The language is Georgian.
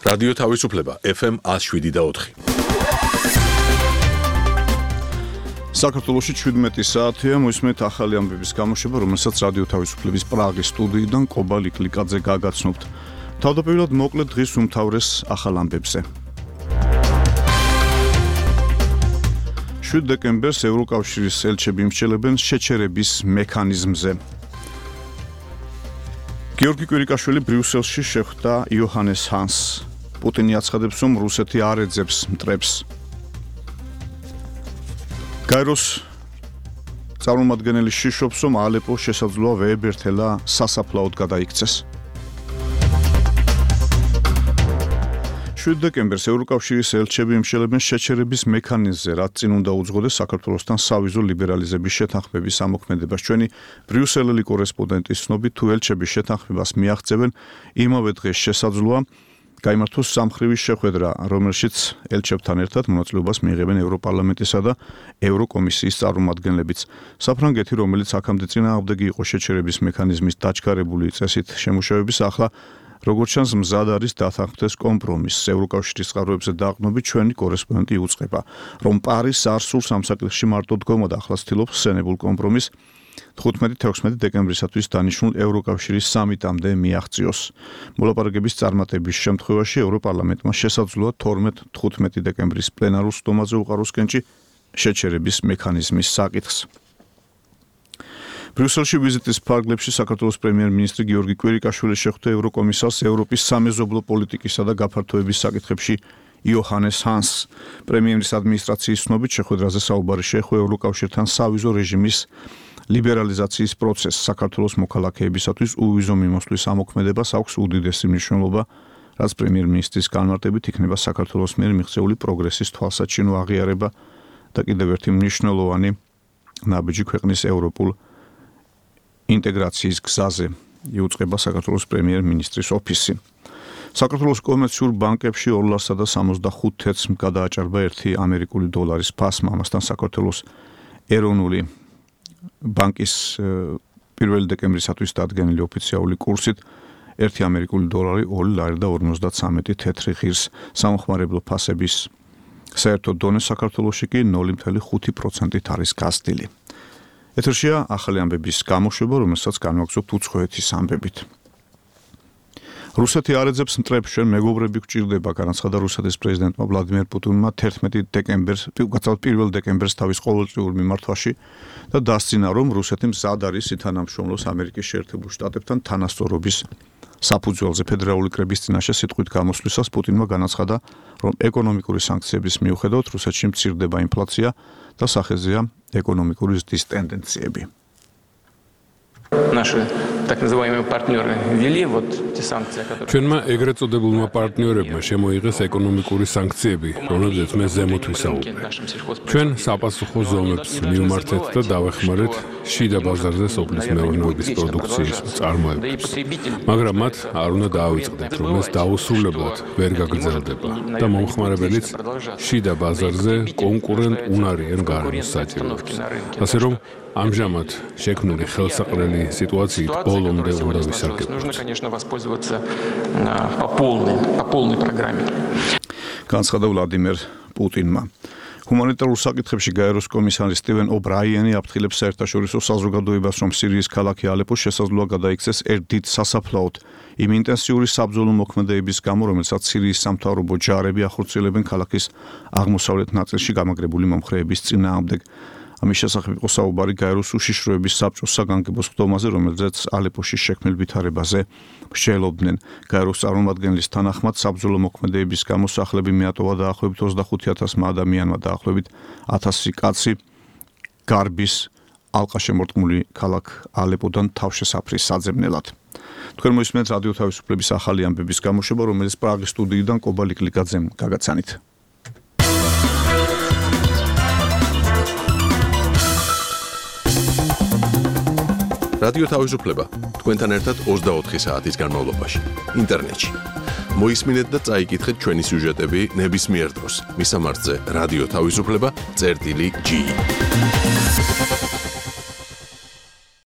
რადიო თავისუფლება FM 107.4. საქართველოში 17 საათია მოისმენთ ახალი ამბების გამოშვება, რომელსაც რადიო თავისუფლების პრაღის სტუდიიდან კობა ლიკლიკაძე გაგაცნობთ. თავდაპირველად მოკლედ დღის უმთავრეს ახალ ამბებზე. 7 დეკემბერს ევროკავშირის ელჩები იმსჯელებენ შეჩერების მექანიზმზე. გიორგი კვირიკაშვილი ბრიუსელში შეხვდა იოჰანეს ჰანსს. პუტინი აცხადებს, რომ რუსეთი არ ეძებს მტრებს. გაეროს წარმომადგენელი შიშობს, რომ ალეპოს შესაძლოა ვეებერთელა სასაფლაოდ გადაიქცეს. 7 დეკემბერს ევროკავშირის ელჩები იმსჯელებენ შეჩერების მექანიზმზე, რაც წინ უნდა უძღოდეს საქართველოსთან სავიზო ლიბერალიზების შეთანხმების ამოქმედებას. ჩვენი ბრიუსელელი კორესპონდენტის ცნობით, თუ ელჩები შეთანხმებას მიაღწევენ, იმავე დღეს შესაძლოა გაიმართოს სამხრივი შეხვედრა, რომელშიც ელჩებთან ერთად მონაწილეობას მიიღებენ ევროპარლამენტისა და ევროკომისიის წარმომადგენლებიც. საფრანგეთი, რომელიც აქამდე წინააღმდეგი იყო შეჩერების მექანიზმის დაჩქარებული წესით შემუშავების, ახლა როგორც ჩანს, მზად არის დათანხმდეს კომპრომისს. ევროკავშირის წყაროებზე დაყრდნობით ჩვენი კორესპონდენტი უწყება, რომ პარიზს არ სურს ამ საკითხში მარტო დგომა და ახლა ცდილობს სცენებულ კომპრომისს 15-16 დეკემბრისათვის დანიშნულ ევროკავშირის სამიტამდე მიაღწიოს. მოლაპარაკების წარმატების შემთხვევაში ევროპარლამენტმა შესაძლოა 12-15 დეკემბრის პლენარულ სხდომაზე უყაროს კენჭი შეჩერების მექანიზმის საკითხს. ბრიუსელში ვიზიტის ფარგლებში საქართველოს პრემიერ-მინისტრი გიორგი კვირიკაშვილი შეხვდა ევროკომისარს ევროპის სამეზობლო პოლიტიკისა და გაფართოების საკითხებში იოჰანეს ჰანსს. პრემიერის ადმინისტრაციის ცნობით შეხვედრაზე საუბარი შეეხო ევროკავშირთან სავიზო რეჟიმის ლიბერალიზაციის პროცესს. საქართველოს მოქალაქეებისათვის უვიზო მიმოსვლის ამოქმედებას აქვს უდიდესი მნიშვნელობა, რაც პრემიერ-მინისტრის განმარტებით იქნება საქართველოს მიერ მიღწეული პროგრესის თვალსაჩინო აღიარება და კიდევ ერთი მნიშვნელოვანი ნაბიჯი ქვეყნის ევროპულ ინტეგრაციის გზაზე, იუწყება საქართველოს პრემიერ-მინისტრის ოფისი. საქართველოს კომერციულ ბანკებში 2.65 გადააჭარბა 1 ამერიკული დოლარის ფასმა. ამასთან საქართველოს ეროვნული ბანკის 1 დეკემბრისათვის დადგენილი ოფიციალური კურსით 1 ამერიკული დოლარი 2.53 თეთრი ღირს. სამხმარებლო ფასების საერთო დონე საქართველოში კი 0.5%-ით არის გაზრდილი. ეთერშია ახალი ამბების გამოშვება, რომელსაც განვაგრძობთ უცხოეთის ამბებით. რუსეთი არ ეძებს მტრებს, ჩვენ მეგობრები გვჭირდება, განაცხადა რუსეთის პრეზიდენტმა ვლადიმერ პუტინმა 1 დეკემბერს თავის ყოველწლიურ მიმართვაში და დასცინა, რომ რუსეთი მზად არის ითანამშრომლოს ამერიკის შეერთებულ შტატებთან თანასწორობის საფუძველზე. ფედერალური კრების წინაშე სიტყვით გამოსვლისას პუტინმა განაცხადა, რომ ეკონომიკური სანქციების მიუხედავად რუსეთში მცირდება ინფლაცია და სახეზეა ეკონომიკური ზრდის ტენდენციები. ჩვენმა ეგრეთ წოდებულმა პარტნიორებმა შემოიღეს ეკონომიკური სანქციები, რომლებზეც მე ზემოთ ვისაუბრე. ჩვენ საპასუხო ზომებს მივმართეთ და დავეხმარეთ შიდა ბაზარზე სოფლის მეურნეობის პროდუქციის მწარმოებელს. მაგრამ მათ არ უნდა დაავიწყდეთ, რომ ეს დაუსრულებლად ვერ გაგრძელდება და მომხმარებელიც შიდა ბაზარზე კონკურენტ უნარიან გარემოს საჭიროებს. ასე რომ ამჟამად შექმნილი ხელსაყრელი სიტუაციით ბოლომდე უნდა ვისარგებლოთ. განაცხადა ვლადიმერ პუტინმა. ჰუმანიტარულ საკითხებში გაეროს კომისარი სტივენ ობრაიენი აფრთხილებს საერთაშორისო საზოგადოებას, რომ სირიის ქალაქი ალეპო შესაძლოა გადაიქცეს ერთ დიდ სასაფლაოდ იმ ინტენსიური საბრძოლო მოქმედებების გამო, რომელსაც სირიის სამთავრობო ჯარები ახორციელებენ ქალაქის აღმოსავლეთ ნაწილში გამაგრებული მომხრეების წინააღმდეგ. ამის შესახებ იყო საუბარი გაეროს უშიშროების საბჭოს საგანგებო სხდომაზე, რომელზეც ალეპოში შექმნილ ვითარებაზე მსჯელობდნენ. გაეროს წარმომადგენლის თანახმად საბრძოლო მოქმედებების გამო სახლები მიატოვა დაახლოებით 25,000 ადამიანმა, დაახლოებით 1000 კაცი გარბის ალყაშემორტყმული ქალაქ ალეპოდან თავშესაფრის საძებნელად. თქვენ მოისმენთ რადიო თავისუფლების ახალი ამბების გამოშვება, რომელიც პრაღის სტუდიიდან კობა ლიკლიკაძემ გაგაცანით. რადიო თავისუფლება თქვენთან ერთად 24 საათის განმავლობაში ინტერნეტში. მოისმინეთ და წაიკითხეთ ჩვენი სიუჟეტები ნებისმიერ დროს. მისამართზე რადიო თავისუფლება წერტილი G.